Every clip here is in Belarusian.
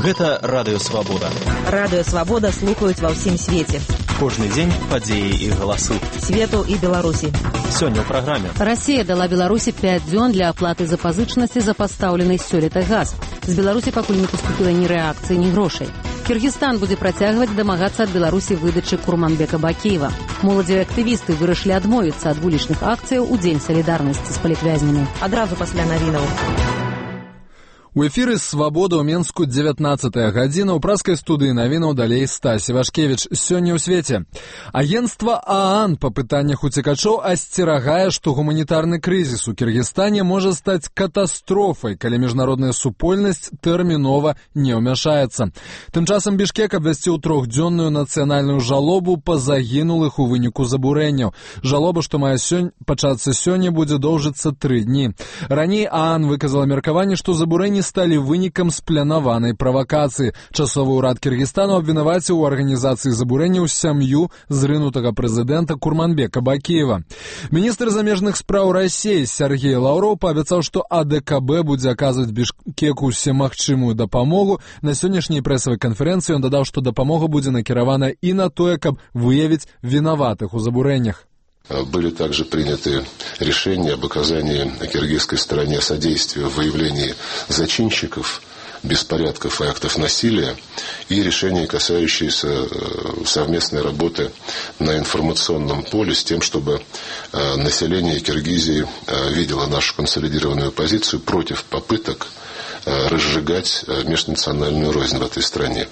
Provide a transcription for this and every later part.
Гэта Радыё Свабода. Радыё Свабода слухаюць ва ўсім свеце. Кожны дзень падзеі і галасы. Свету і Беларусі. Сёння ў праграме. Расія дала Беларусі 5 дзён для аплаты запазычнасці за пастаўлены сёлета газ. З Беларусі пакуль не паступіла ні рэакцыі, ні грошай. Кыргызстан будзе працягваць дамагацца ад Беларусі выдачы Курманбека Бакиева. Моладзевыя актывісты вырашылі адмовіцца ад вулічных акцыяў у Дзень салідарнасці з палітвязнямі. Адразу пасля навінаў. У эфіры «Свабода» ў Менску 19-я гадзіна. У праскай студыі навінаў далей Стась Івашкевіч. Сёння ў свеце. Агенцтва ААН па пытаннях уцекачоў асцерагае, што гуманітарны крызіс у Кыргызстане можа стаць катастрофай, калі міжнародная супольнасць тэрмінова не ўмяшаецца. Тым часам Бішкек абвясціў 3-дзённую нацыянальную жалобу па загінулых у выніку забурэнняў. Жалоба, што мае пачацца сёння, будзе доўжыцца 3 дні. Раней ААН выказала меркаванне, што забурэнні сталі вынікам спланаванай правакацыі. Часовы ўрад Кыргызстану абвінаваціў у арганізацыі забурэнняў сям'ю зрынутага прэзідэнта Курманбека Бакиева. Міністр замежных спраў Расіі Сергей Лаўроў паабяцаў, што АДКБ будзе аказваць Бішкеку усемагчымую дапамогу. На сённяшняй прэсавай канферэнцыі ён дадаў, што дапамога будзе накіравана і на тое, каб выявіць вінаватых у забурэннях. Были также приняты решения об оказании киргизской стороне содействия в выявлении зачинщиков беспорядков и актов насилия и решения, касающиеся совместной работы на информационном поле с тем, чтобы население Киргизии видело нашу консолидированную позицию против попыток разжигать межнациональную рознь в этой стране.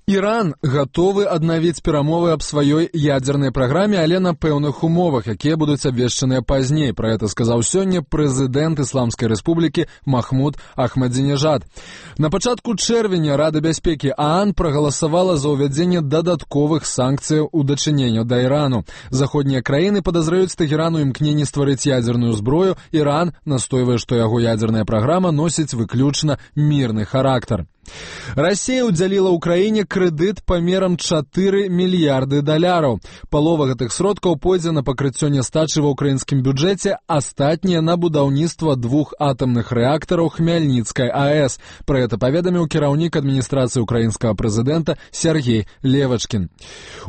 Іран гатовы аднавіць перамовы аб сваёй ядзернай праграме, але на пэўных умовах, якія будуць абвешчаныя пазней. Пра гэта сказаў сёння прэзідэнт Ісламскай рэспублікі Махмуд Ахмадзінежад. На пачатку чэрвеня Рада бяспекі ААН прагаласавала за ўвядзенне дадатковых санкцыяў у дачыненню да Ірану. Заходнія краіны падазраюць Тэхеран у імкненні стварыць ядзерную зброю. Іран настойвае, што яго ядзерная праграма носіць выключна мірны характар. Расія ўдзяліла ўкраіне крэдыт памерам 4 мільярды даляраў. Палова гэтых сродкаў пойдзе на пакрыццё нястачы ва ўкраінскім бюджэце, астатнія на будаўніцтва 2 атамных рэактараў Хмяльніцкай АЭС. Пра гэта паведаміў кіраўнік адміністрацыі ўкраінскага прэзідэнта Сергей Левачкін.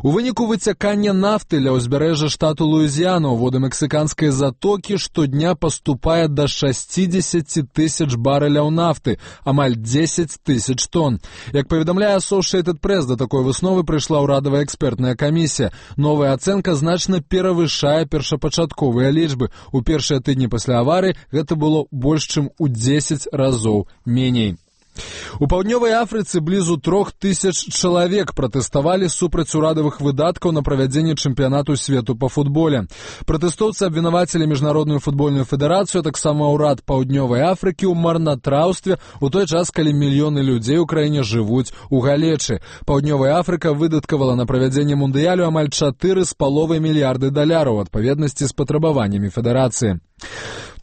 У выніку выцякання нафты ля ўзбярэжжа штату Луізіяна ў воды мексіканскай затокі штодня паступае да 60 тысяч барэляў нафты, амаль 10 тысяч тонн. Як паведамляе Associated Press, да такой высновы прыйшла ўрадавая экспертная камісія. Новая ацэнка значна перавышае першапачатковыя лічбы. У першыя тыдні пасля аварыі гэта было больш чым у 10 разоў меней. У паўднёвай Афрыцы блізу 3000 чалавек пратэставалі супраць урадавых выдаткаў на правядзенне чэмпіянату свету па футболе. Пратэстоўцы абвінавацілі міжнародную футбольную федэрацыю, таксама ўрад паўднёвай Афрыкі ў марнатраўстве у той час, калі мільёны людзей у краіне жывуць у галечы. Паўднёвая Афрыка выдаткавала на правядзенне мундыялю амаль 4,5 мільярды даляраў у адпаведнасці з патрабаваннямі федэрацыі.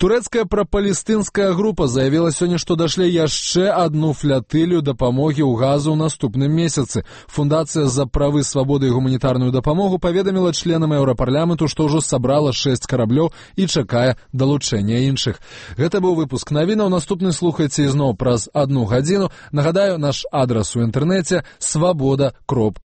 Турэцкая прапалестынская група заявіла сёння, што дашле яшчэ адну флятылью дапамогі ў газу ў наступным месяцы. Фундацыя за правы, свабоды і гуманітарную дапамогу паведаміла членам еўрапарламенту, што ўжо сабрала 6 караблёў і чакае далучэння іншых. Гэта быў выпуск навінаў. Наступны слухайце ізноў праз 1 гадзіну. Нагадаю, наш адрас у інтэрнэце свабода.орг.